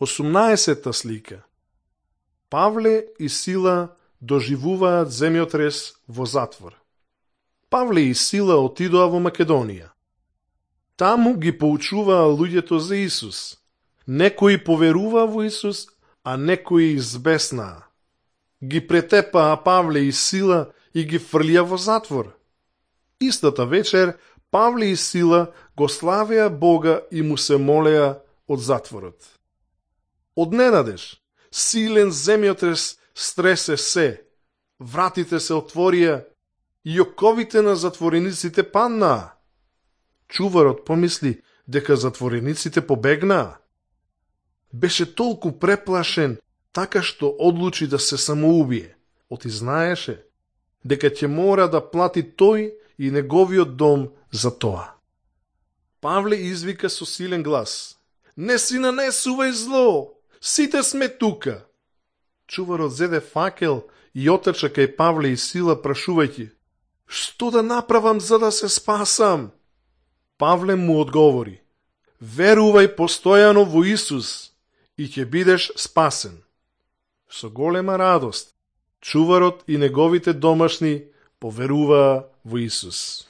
18-та слика. Павле и Сила доживуваат земјотрес во затвор. Павле и Сила отидоа во Македонија. Таму ги поучуваа луѓето за Исус. Некои поверуваа во Исус, а некои избеснаа. Ги претепаа Павле и Сила и ги фрлија во затвор. Истата вечер Павле и Сила го славеа Бога и му се молеа од затворот. Одненадеж, силен земјотрес стресе се, вратите се отворија и оковите на затворениците паднаа. Чуварот помисли дека затворениците побегнаа. Беше толку преплашен, така што одлучи да се самоубие, оти знаеше дека ќе мора да плати тој и неговиот дом за тоа. Павле извика со силен глас: "Не си нанесувај зло! Сите сме тука!" Чуварот зеде факел и отрча кај Павле и Сила прашувајќи: "Што да направам за да се спасам?" Павле му одговори: "Верувај постојано во Исус и ќе бидеш спасен." Со голема радост, чуварот и неговите домашни поверуваа во Исус.